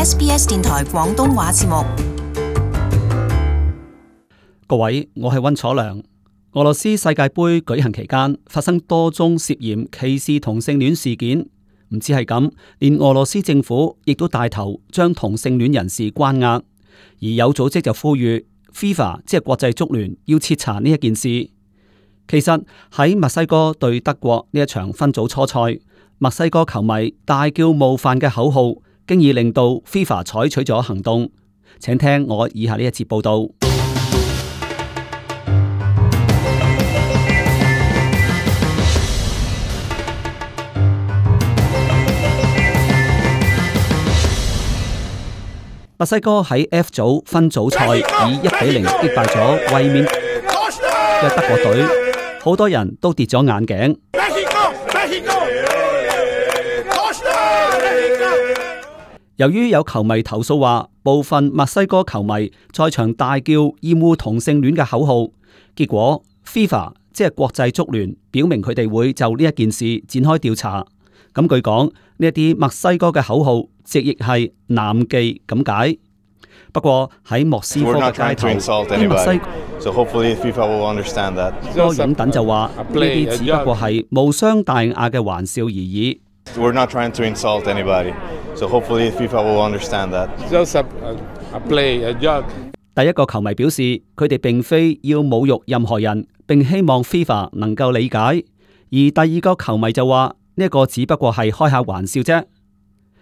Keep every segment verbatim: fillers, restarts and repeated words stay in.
S B S 電台廣東話節目。各位，我係溫楚良。俄羅斯世界盃舉行期間發生多宗涉嫌歧視同性戀事件，唔止係咁，連俄羅斯政府亦都帶頭將同性戀人士關押，而有組織就呼籲 FIFA 即係國際足聯要徹查呢一件事。其實喺墨西哥對德國呢一場分組初賽，墨西哥球迷大叫冒犯嘅口號，經已令到 FIFA 採取咗行動。請聽我以下呢一節報道。墨西哥喺 F 組分組賽以一比零擊敗咗衛冕嘅德國隊，好多人都跌咗眼鏡。由於有球迷投訴話，部分墨西哥球迷在場大叫厭惡同性戀嘅口號，結果 FIFA 即係國際足聯表明佢哋會就呢一件事展開調查。咁據講，呢一啲墨西哥嘅口號直譯係男妓咁解。不過喺莫斯科嘅街頭，啲墨西哥擁躉就話呢啲只不過係無傷大雅嘅玩笑而已。We're not trying to insult anybody, so hopefully FIFA will understand that. Just a, a play, a joke. 第一個球迷表示，佢哋並非要侮辱任何人，並希望 FIFA 能夠理解。而第二個球迷就話，呢一個只不過係開下玩笑啫。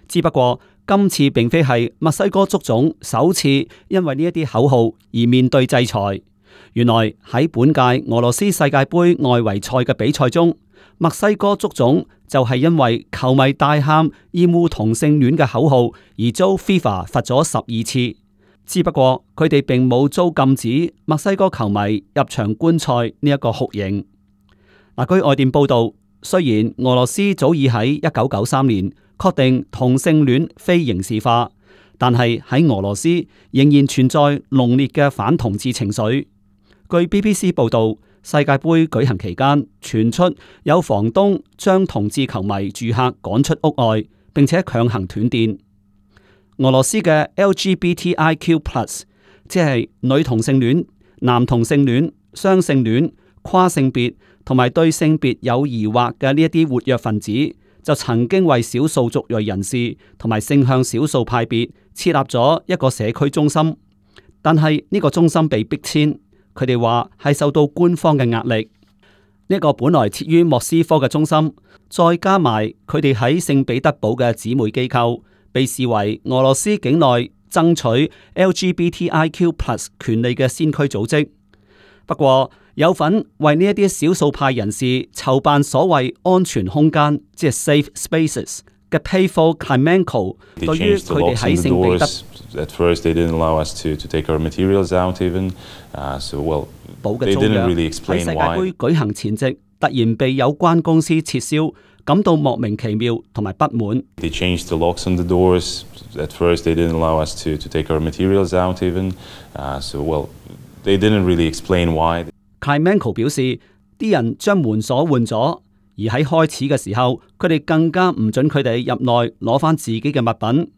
只不過今次並非係墨西哥足總首次因為呢一啲口號而面對制裁。原來喺本屆俄羅斯世界盃外圍賽嘅比賽中，墨西哥足總就係因為球迷大喊厭惡同性戀嘅口號而遭 FIFA 罰咗十二次。只不過佢哋並冇遭禁止墨西哥球迷入場觀賽呢一個酷刑。嗱，據外電報道，雖然俄羅斯早已喺一九九三年確定同性戀非刑事化，但係喺俄羅斯仍然存在濃烈嘅反同志情緒。據 B B C 報道，世界盃舉行期間傳出有房東將同志球迷住客趕出屋外，並且強行斷電。俄羅斯嘅 L G B T I Q plus， 即係女同性戀、男同性戀、雙性戀、跨性別同埋對性別有疑惑嘅呢一啲活躍分子，就曾經為少數族裔人士同埋性向少數派別設立咗一個社區中心，但係呢個中心被逼遷，佢哋話係受到官方嘅壓力。呢、這個本來設於莫斯科嘅中心，再加埋佢哋喺聖彼得堡嘅姊妹機構，被視為俄羅斯境內爭取 L G B T I Q plus 權利嘅先驅組織。不過有份為呢一啲少數派人士籌辦所謂安全空間，即係 safe spaces 嘅 Payfor Klimenko， 對於佢哋喺聖彼得堡嘅租約喺世界盃舉行前夕突然被有關公司撤銷，感到莫名其妙同埋不滿。They changed the locks on the doors. At first, they didn't allow us to to take our materials out even. Uh, so well, they didn't really explain why. Klimenko 表示，啲人將門鎖換咗，而喺開始嘅時候，佢哋更加唔准佢哋入內攞翻自己嘅物品。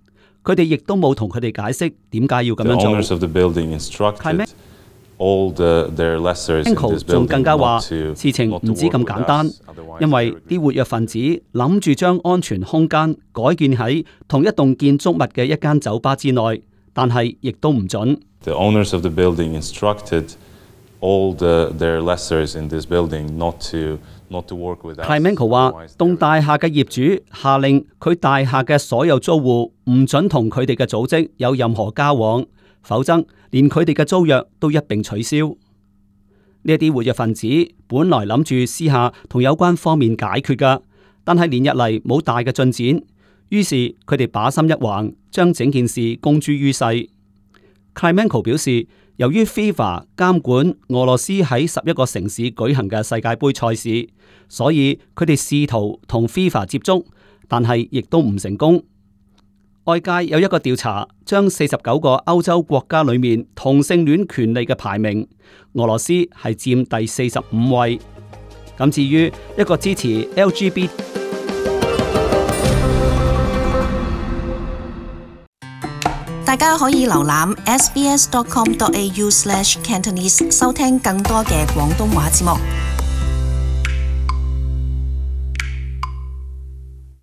佢哋亦都冇同佢哋解釋點解要咁樣做。The owners of the building instructed all the their lessors in this building not to not to work with us. 仲更加話，事情唔止咁簡單，因為啲活躍分子諗住將安全空間改建喺同一棟建築物嘅一間酒吧之內，但係亦都唔准。The owners of the building instructed all the their lessors in this building not to not to work with us. Klimenko 話，棟大廈嘅業主下令佢大廈嘅所有租戶唔准同佢哋嘅組織有任何交往，否則連佢哋嘅租約都一併取消。呢一啲活躍分子本來諗住私下同有關方面解決㗎，但係連日嚟冇大嘅進展，於是佢哋把心一橫，將整件事公諸於世。Klimenko 表示，由於 FIFA 監管俄羅斯喺十一個城市舉行嘅世界盃賽事，所以佢哋試圖同 FIFA 接觸，但係亦都唔成功。外界有一個調查，將四十九個歐洲國家裏面同性戀權利嘅排名，俄羅斯係佔第四十五位。咁至於一個支持 L G B T 大家可以瀏覽 s b s dot com dot a u slash cantonese 收聽更多嘅廣東話節目。